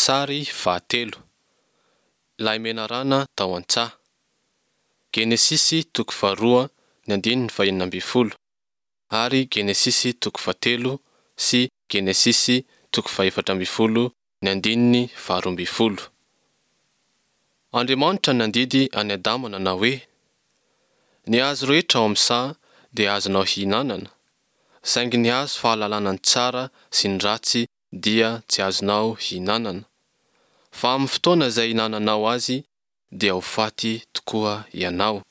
Sary fahatelo. Ilay menarana tao an-tsaha. Genesisy toko faharoa ny andininy fahenina ambin'ny folo ary Genesisy toko fahatelo sy Genesisy toko fahefatra ambin'ny folo ny andininy faharoa ambin'ny folo. Andriamanitra nandidy an'i Adama nanao hoe, Ny hazo rehetra ao amin'ny saha dia azonao hihinanana, saingy ny hazo fahalalana ny tsara sy ny ratsy dia tsy azonao hihinanana, fa amin'ny fotoana izay hihinananao azy dia ho faty tokoa ianao.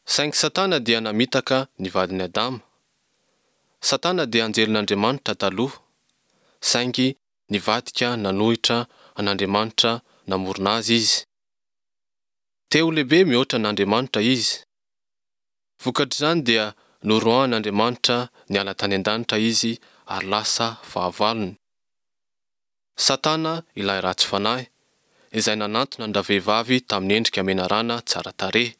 Saingy Satana dia namitaka ny vadin'i Adama. Satana dia anjelin'Andriamanitra taloha, saingy nivadika nanohitra an'Andriamanitra namorona azy izy. Te ho lehibe mihoatra an'Andriamanitra izy. Vokatr'izany dia noroahan'Andriamanitra niala tany an-danitra izy ary lasa fahavalony. Satana ilay ratsy fanahy, izay nanantona an-dravehivavy tamin'ny endrika menarana tsara tarehy.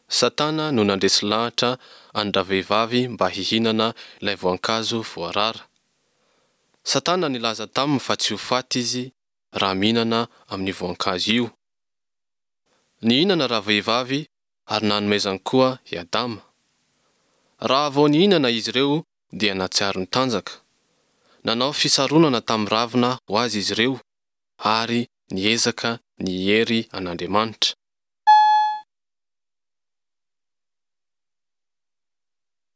Satana no nandresy lahatra an-dravehivavy mba hihinana ilay voankazo voarara. Satana nilaza taminy fa tsy ho faty izy raha mihinana amin'io voankazo io. Nihinana ravehivavy ary nanomezany koa i Adama. Raha vao nihinana izy ireo dia nahatsiaro nitanjaka. Nanao fisaronana tamin'ny ravina ho azy izy ireo ary niezaka ny hiery an'Andriamanitra.